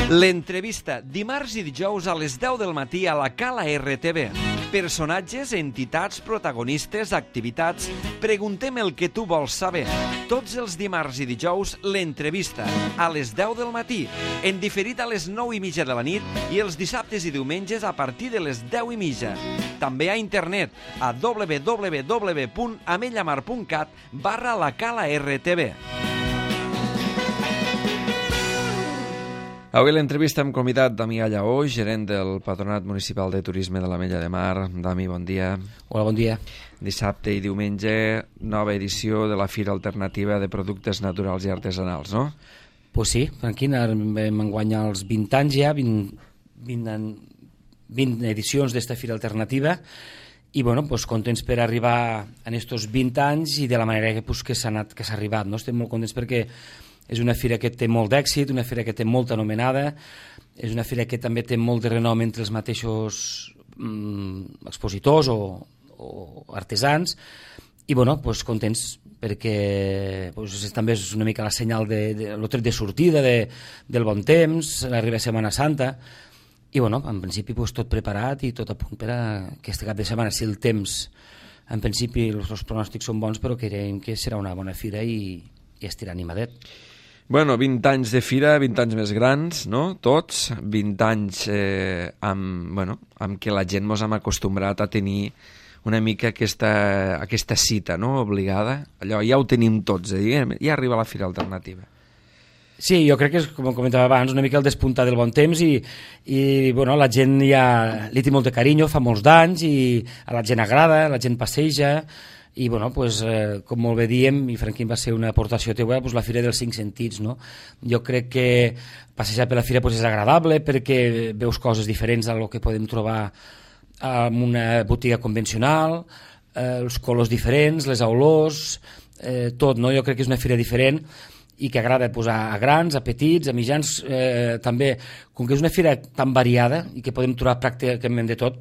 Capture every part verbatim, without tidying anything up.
L'entrevista, dimarts i dijous a les deu del matí a la Cala R T V. Personatges, entitats, protagonistes, activitats... Preguntem el que tu vols saber. Tots els dimarts i dijous, l'entrevista, a les deu del matí, en diferit a les nou i mitja de la nit i els dissabtes i diumenges a partir de les deu i mitja. També a internet, a w w w punt amellamar punt cat barra la Cala R T V. Avui l'entrevista hem convidat Damià Lleó, gerent del Patronat Municipal de Turisme de l'Ametlla de Mar. Dami, bon dia. Hola, bon dia. Dissabte i diumenge, nova edició de la Fira Alternativa de Productes Naturals i Artesanals, no? Pues sí, tranquil, vam guanyar els vint anys ja, vint, vint, vint edicions d'esta Fira Alternativa, i bueno, pues, contents per arribar en estos vint anys i de la manera que, pues, que s'ha anat, que s'ha arribat, no? Estem molt contents perquè és una fira que té molt d'èxit, una fira que té molta anomenada, és una fira que també té molt de renom entre els mateixos mm, expositors o, o artesans, i bueno, pues, contents perquè pues, també és una mica la senyal de, de, el tret de sortida de, del bon temps, l'arriba Setmana Santa, i bueno, en principi pues, tot preparat i tot a punt per a aquest cap de setmana, si el temps, en principi els, els pronòstics són bons, però creiem que serà una bona fira i, i estirà animadet. Bueno, vint anys de fira, vint anys més grans, no? Tots, vint anys eh, amb, bueno, amb què la gent mos hem acostumbrat a tenir una mica aquesta, aquesta cita, no?, obligada. Allò ja ho tenim tots, eh? Ja arriba la Fira Alternativa. Sí, jo crec que és, com comentava abans, una mica el despuntar del bon temps i, i bueno, la gent ja li té molt de carinyo, fa molts d'anys i a la gent agrada, la gent passeja. I bueno, pues, eh, com molt bé diem, i Franquín va ser una aportació teua, pues, la Fira dels Cinc Sentits, no? Jo crec que passejar per la Fira pues, és agradable perquè veus coses diferents del que podem trobar en una botiga convencional, eh, els colors diferents, les olors, eh, tot, no? Jo crec que és una fira diferent i que agrada pues, a, a grans, a petits, a mitjans, eh, també, com que és una fira tan variada i que podem trobar pràcticament de tot,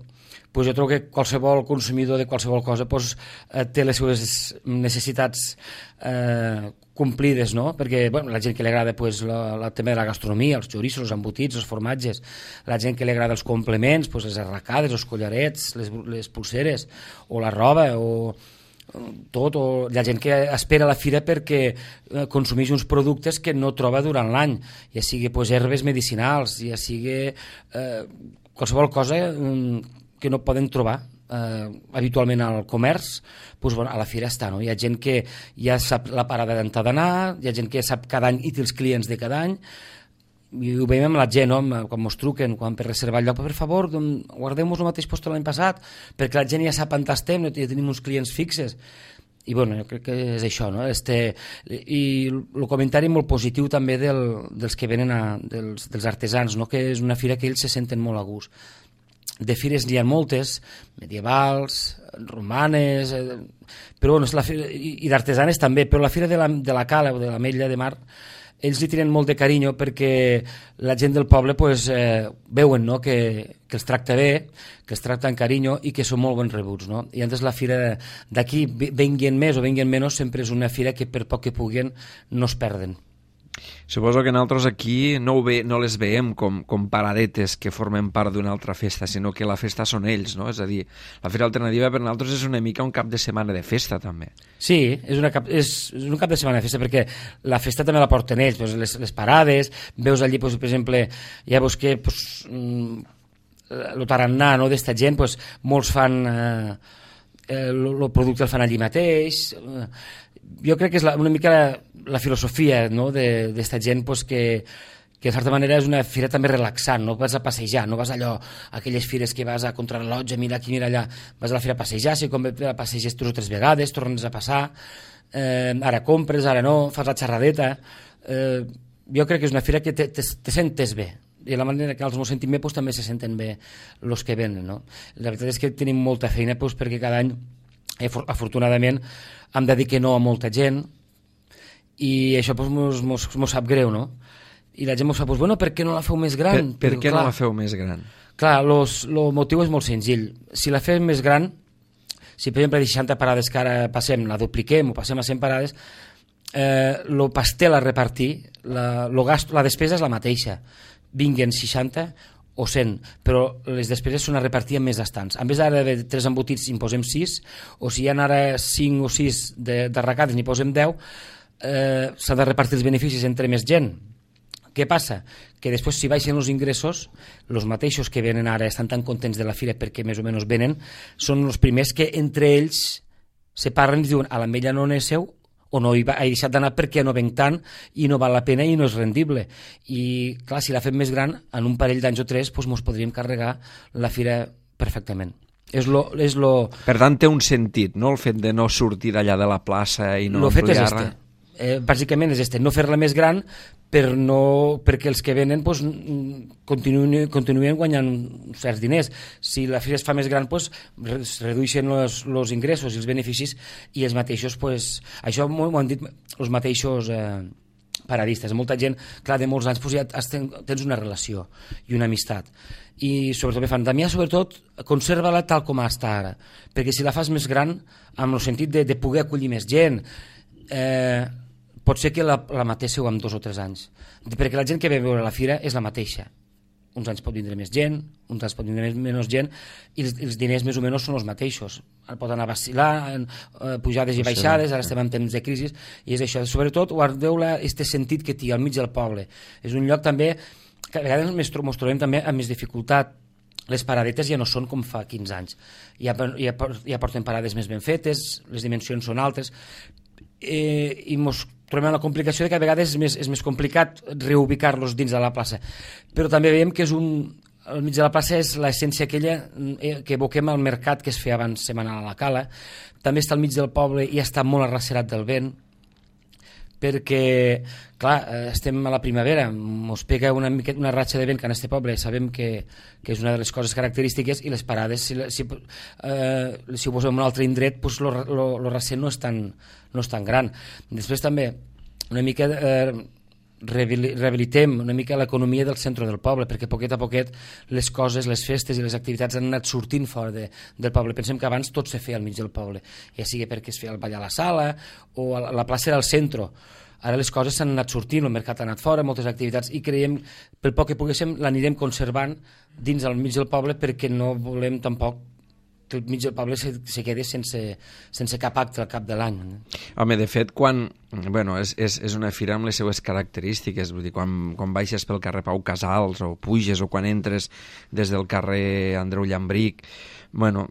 pues jo trobo que qualsevol consumidor de qualsevol cosa pues, eh, té les seves necessitats eh, complides, no? Perquè bueno, la gent que li agrada pues, la, la tema de la gastronomia, els xoriços, els embotits, els formatges, la gent que li agrada els complements, pues, les arracades, els collarets, les, les pulseres, o la roba, o tot, o la gent que espera la fira perquè eh, consumeix uns productes que no troba durant l'any, ja sigui pues, herbes medicinals, ja sigui eh, qualsevol cosa eh, que no poden trobar eh, habitualment al comerç, doncs, bueno, a la fira està, no? Hi ha gent que ja sap la parada d'on ha d'anar, hi ha gent que sap cada any i té els clients de cada any, i ho veiem amb la gent, no? Quan ens truquen, quan per reservar el lloc, per favor, guardeu-nos el mateix post l'any passat, perquè la gent ja sap on estem, no? Ja tenim uns clients fixes. I bueno, jo crec que és això, no? Este, i el comentari molt positiu també del, dels que venen a, dels, dels artesans, no? Que és una fira que ells se senten molt a gust. De fires n'hi ha moltes, medievals, romanes, eh, però bueno, la fira, i, i d'artesanes també, però la fira de la, de la Cala o de l'Ametlla de Mar, ells li tenen molt de carinyo perquè la gent del poble pues, eh, veuen, no? que, que els tracta bé, que els tracta amb carinyo i que són molt bons rebuts. No? I antes la fira d'aquí, venguin més o venguin menys, sempre és una fira que per poc que puguen no es perden. Suposo que nosaltres aquí no, ho ve, no les veiem com, com paradetes que formen part d'una altra festa, sinó que la festa són ells, no? És a dir, la Fira Alternativa per nosaltres és una mica un cap de setmana de festa, també. Sí, és, una cap, és, és un cap de setmana de festa, perquè la festa també la porten ells, doncs les, les parades, veus allí, doncs, per exemple, ja veus que doncs, el tarannà, no?, d'esta gent, doncs, molts fan eh, el, el producte el fan allí mateix. Jo crec que és la, una mica la, la filosofia, no?, d'esta gent pues, que, que de certa manera és una fira també relaxant, no vas a passejar, no vas allò, a aquelles fires que vas a contrarrellotge, mira aquí, mira allà, vas a la fira a passejar, si com a passeges tres o tres vegades, tornes a passar, eh, ara compres, ara no, fas la xerradeta, eh, jo crec que és una fira que te, te, te sentes bé, i la manera que els ens sentim bé pues, també se senten bé els que venen, no? La veritat és que tenim molta feina pues, perquè cada any afortunadament hem de dir que no a molta gent i això pues, mos, mos, mos sap greu, no? I la gent mos fa, pues, bueno, per què no la feu més gran? Per, per què clar, no la feu més gran? Clar, el motiu és molt senzill. Si la fem més gran, si per exemple de seixanta parades que ara passem la dupliquem o passem a cent parades, eh, lo pastel a repartir, la, lo gasto, la despesa és la mateixa, vinguen seixanta o cent, però les despeses són a repartir en més estants. En vez d'ara de tres embotits n'hi posem sis, o si hi ha ara cinc o sis de, d'arracades n'hi posem deu, eh, s'ha de repartir els beneficis entre més gent. Què passa? Que després, si baixen els ingressos, els mateixos que venen ara estan tan contents de la fira perquè més o menys venen, són els primers que entre ells se parlen i diuen a l'ametlla no n'és seu, o no hi ha deixat d'anar perquè no venc tant i no val la pena i no és rendible. I clar, si la fem més gran, en un parell d'anys o tres doncs ens podríem carregar la fira perfectament. És lo, és lo... Per tant, té un sentit, no?, el fet de no sortir d'allà de la plaça i no ampliar-la. Lo fet és este. Eh, bàsicament és este, no fer-la més gran per no, perquè els que venen pues, continuen, continuen guanyant certs diners. Si la fira es fa més gran, pues, es redueixen els ingressos i els beneficis i els mateixos, pues, això m'ho han dit els mateixos eh, paradistes. Molta gent, clar, de molts anys pues, ja tens una relació i una amistat. I sobretot me fan, Damià, sobretot, conserva-la tal com està ara, perquè si la fas més gran, amb el sentit de, de poder acollir més gent, eh, pot ser que la, la matéssiu en dos o tres anys, perquè la gent que ve a veure la fira és la mateixa. Uns anys pot vindre més gent, uns anys pot vindre menys gent, i els, els diners més o menys són els mateixos. Pot anar vacilant, eh, pujades i baixades, ara estem en temps de crisi, i és això. Sobretot, guardeu aquest sentit que té al mig del poble. És un lloc també que a vegades ens trobem també amb més dificultat. Les paradetes ja no són com fa quinze anys. Ja, ja, ja porten parades més ben fetes, les dimensions són altes, eh, i mos trobem la complicació de que a vegades és més, és més complicat reubicar-los dins de la plaça. Però també veiem que és un, al mig de la plaça és l'essència aquella que evoquem al mercat que es feia abans setmanal a la Cala. També està al mig del poble i està molt arracerat del vent, perquè, clar, estem a la primavera, ens pega una, una ratxa de vent que en este poble sabem que, que és una de les coses característiques, i les parades, si, si, eh, si ho posem en un altre indret, pues lo, lo, lo recent no és, tan, no és tan gran. Després també una mica eh, rehabilitem una mica l'economia del centre del poble, perquè poquet a poquet les coses, les festes i les activitats han anat sortint fora de, del poble. Pensem que abans tot se feia al mig del poble, ja sigui perquè es feia el ball a la sala o a la, la plaça era al centre. Ara les coses s'han anat sortint, el mercat ha anat fora, moltes activitats, i creiem, pel poc que poguéssim, l'anirem conservant dins al mig del poble, perquè no volem tampoc que el mig del poble se, se quedi sense, sense cap acte al cap de l'any. Home, de fet, quan... Bueno, és, és, és una fira amb les seues característiques, vull dir, quan, quan baixes pel carrer Pau Casals o puges, o quan entres des del carrer Andreu Llambric, bueno,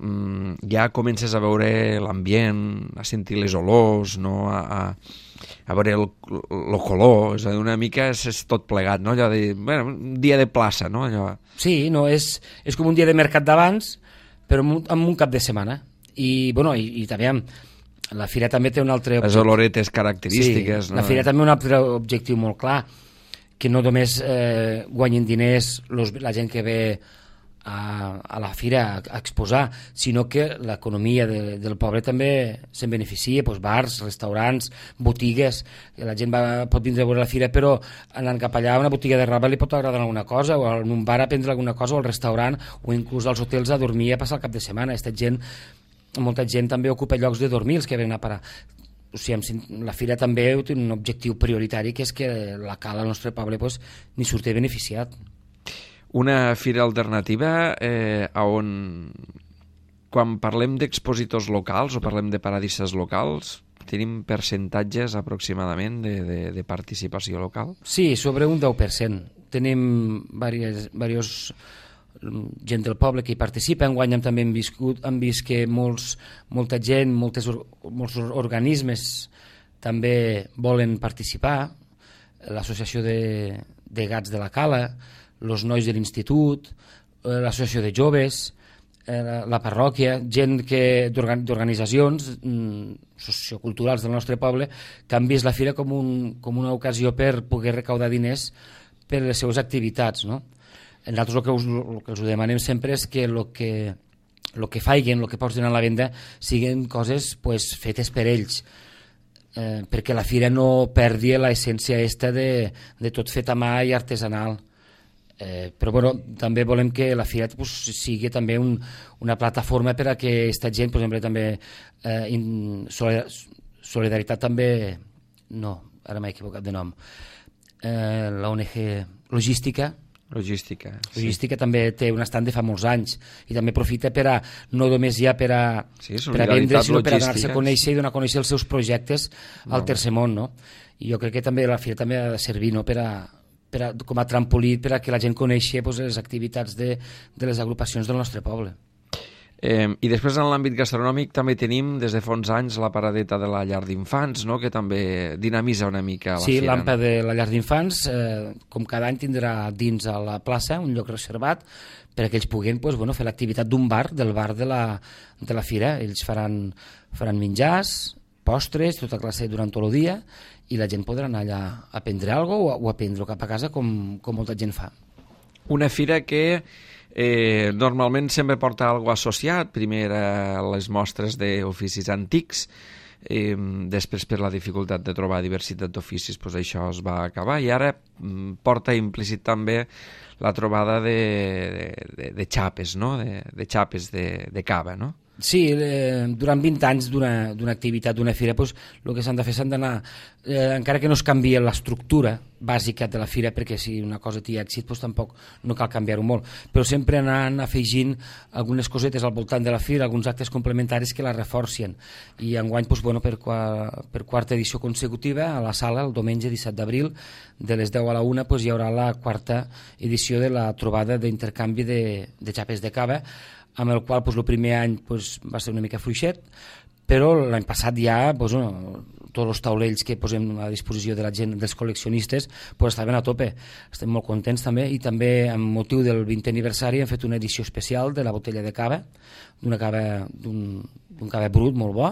ja comences a veure l'ambient, a sentir les olors, no? a, a, a veure el, el color, és a dir, una mica és, és tot plegat, no? Allò de, bueno, un dia de plaça, no? Allò... Sí, no, és, és com un dia de mercat d'abans, però amb un, amb un cap de setmana. I, bueno, i, i també la fira també té un altre... Les oloretes característiques. Sí, no? La fira també un altre objectiu molt clar, que no només eh, guanyen diners los, la gent que ve a, a la fira a, a exposar, sinó que l'economia de, del poble també se'n beneficia, doncs bars, restaurants, botigues, la gent va, pot vindre a veure la fira, però anant cap allà a una botiga de roba li pot agradar alguna cosa, o en un bar a prendre alguna cosa, o al restaurant, o inclús als hotels a dormir i a passar el cap de setmana. Aquesta gent, molta gent també ocupa llocs de dormir, els que venen a parar. O sigui, la fira també té un objectiu prioritari, que és que la Cala al nostre poble pues, ni surti beneficiat. Una fira alternativa eh, on, quan parlem d'expositors locals o parlem de paradistes locals, tenim percentatges aproximadament de, de, de participació local? Sí, sobre un deu per cent. Tenim diversos, diversos gent del poble que hi participa. Enguany hem també hem viscut, hem vist que molts, molta gent, moltes, molts organismes també volen participar. L'associació de, de gats de la Cala, els nois de l'institut, l'associació de joves, la, la parròquia, gent que d'organitzacions socioculturals del nostre poble que han vist la fira com, un, com una ocasió per poder recaudar diners per les seves activitats, no? Nosaltres el que, us, el que els demanem sempre és que el que, el que faiguen, el que posen a la venda, siguin coses pues, fetes per ells, eh, perquè la fira no perdi l'essència esta de, de tot fet a mà i artesanal. Eh, però bueno, també volem que la fira pues, sigui també un, una plataforma per a que aquesta gent, per exemple, també eh, in, solidaritat també no, ara m'he equivocat de nom, eh, l'O N G Logística. Logística, sí. Logística també té un estand de fa molts anys i també aprofita per a, no només ja per a, sí, per a vendre, sinó per a donar-se a conèixer sí. i donar a conèixer els seus projectes al no. tercer món, no? I jo crec que també la fira també ha de servir, no?, per a, per a, com a trampolí per a que la gent coneixi pues, les activitats de, de les agrupacions del nostre poble. Eh, I després en l'àmbit gastronòmic també tenim des de fa uns anys la paradeta de la llar d'infants, no?, que també dinamita una mica la sí, fira. Sí, l'Ampa de la llar d'infants, eh, com cada any tindrà dins a la plaça un lloc reservat perquè ells puguin pues, bueno, fer l'activitat d'un bar, del bar de la, de la fira. Ells faran, faran menjars, postres, tota classe durant tot el dia i la gent podrà anar allà a prendre alguna cosa o, o a prendre cap a casa com, com molta gent fa. Una fira que Eh, normalment sempre porta alguna associat, primer a les mostres d'oficis antics, eh, després per la dificultat de trobar diversitat d'oficis pues això es va acabar i ara mm, porta implícit també la trobada de, de, de, de xapes, no? de, de xapes de, de cava, no? Sí, eh, durant vint anys d'una activitat, d'una fira, pues, el que s'han de fer s'han d'anar, eh, encara que no es canvie l'estructura bàsica de la fira, perquè si una cosa té èxit pues, tampoc no cal canviar-ho molt, però sempre anant afegint algunes cosetes al voltant de la fira, alguns actes complementaris que la reforcien. I enguany, pues, bueno, per, per quarta edició consecutiva, a la sala, el diumenge disset d'abril, de les deu a la una, pues, hi haurà la quarta edició de la trobada d'intercanvi de, de xapes de cava, amb el qual pues, el primer any pues, va ser una mica fluixet, però l'any passat ja pues, bueno, tots els taulells que posem a disposició de la gent, dels col·leccionistes, pues, estaven a tope. Estem molt contents també, i també amb motiu del vintè aniversari hem fet una edició especial de la botella de cava, d'una cava, d'un cava brut molt bo,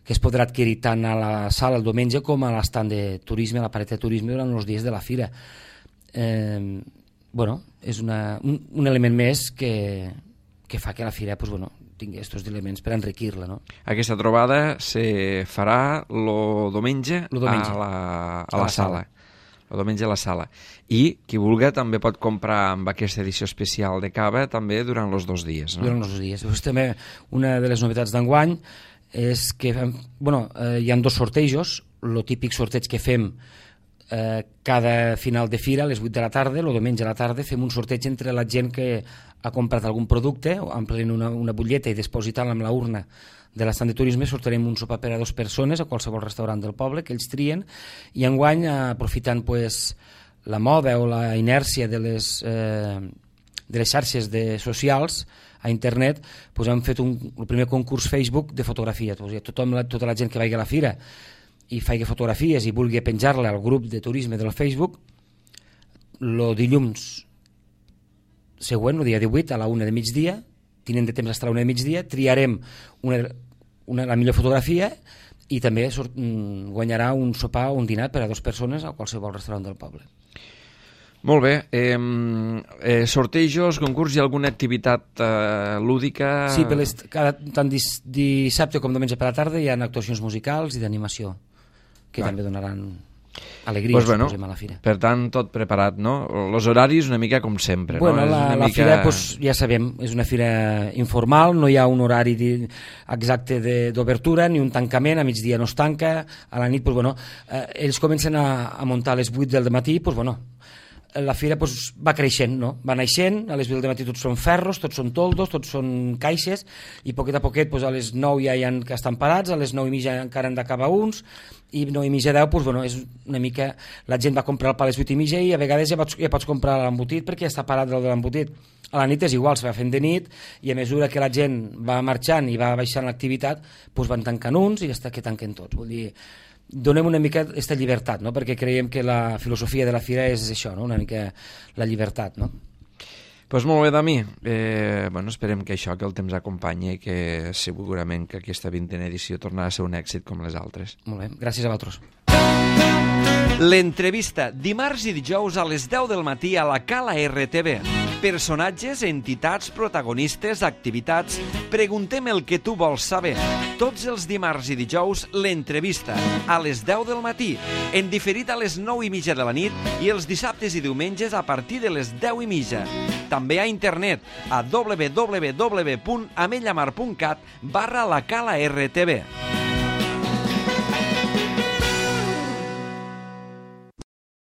que es podrà adquirir tant a la sala el diumenge com a l'estand de turisme, a la paret de turisme durant els dies de la fira. Eh, bueno, és una, un, un element més que que fa que la fira pues, bueno, tingui aquests elements per enriquir-la. No? Aquesta trobada se farà el diumenge, diumenge. a la, a la, la sala. El diumenge a la sala. I qui vulgui també pot comprar amb aquesta edició especial de cava també durant els dos dies. No? Durant els dos dies. Pues, també una de les novetats d'enguany és que bueno, eh, hi ha dos sortejos, el típic sorteig que fem eh, cada final de fira a les vuit de la tarda, el diumenge a la tarda fem un sorteig entre la gent que ha comprat algun producte, omplint una, una butlleta i depositant-la amb la urna de l'estand de turisme, sortarem un sopar per a dues persones a qualsevol restaurant del poble que ells trien, i enguany, aprofitant pues, la moda o la inèrcia de les, eh, de les xarxes de socials a internet, pues, hem fet un, el primer concurs Facebook de fotografia. Pues, tothom, tota la gent que vagi a la fira i faci fotografies i vulgui penjar-la al grup de turisme del Facebook, el dilluns següent, el dia divuit, a la una de migdia, tinent de temps fins a la una de migdia, triarem una, una, la millor fotografia i també sort, guanyarà un sopar o un dinar per a dues persones a qualsevol restaurant del poble. Molt bé. Eh, eh, sortejos, concurs i alguna activitat eh, lúdica? Sí, per les, cada, tant dis, dissabte com diumenge per la tarda hi ha actuacions musicals i d'animació que ah. també donaran alegria, pues bueno, suposem, a la fira. Per tant, tot preparat, no? Els horaris una mica com sempre. Bueno, no? la, és una la mica... fira, pues, ja sabem, és una fira informal, no hi ha un horari exacte d'obertura, ni un tancament, a migdia no es tanca, a la nit, pues, bueno, eh, ells comencen a, a muntar a les vuit del matí, pues, bueno, la fira pues, va creixent, no? Va naixent, a les vuit del matí tots són ferros, tots són toldos, tots són caixes, i poquet a poquet pues, a les nou ja hi ha que estan parats, a les nou i mitja encara han d'acabar uns, i nou i mitja deu, pues, bueno, és una mica... La gent va comprar el pa a les vuit i mitja i a vegades ja pots, ja pots comprar l'embotit perquè ja està parat el de l'embotit. A la nit és igual, se va fent de nit i a mesura que la gent va marxant i va baixant l'activitat, pues, van tancant uns i ja està que tanquen tots. Vull dir, donem una mica aquesta llibertat, no? Perquè creiem que la filosofia de la fira és això, no? Una mica la llibertat, no? Pues molt bé, Dami. Eh, bueno, esperem que això, que el temps acompanyi i que segurament que aquesta vintena edició tornarà a ser un èxit com les altres. Molt bé, gràcies a vosaltres. L'entrevista, dimarts i dijous a les deu del matí a la Cala R T V. Personatges, entitats, protagonistes, activitats... Preguntem el que tu vols saber. Tots els dimarts i dijous, l'entrevista, a les deu del matí, en diferit a les nou i mitja de la nit i els dissabtes i diumenges a partir de les deu i mitja. També a internet, a w w w punt amellamar punt cat barra la Cala R T V.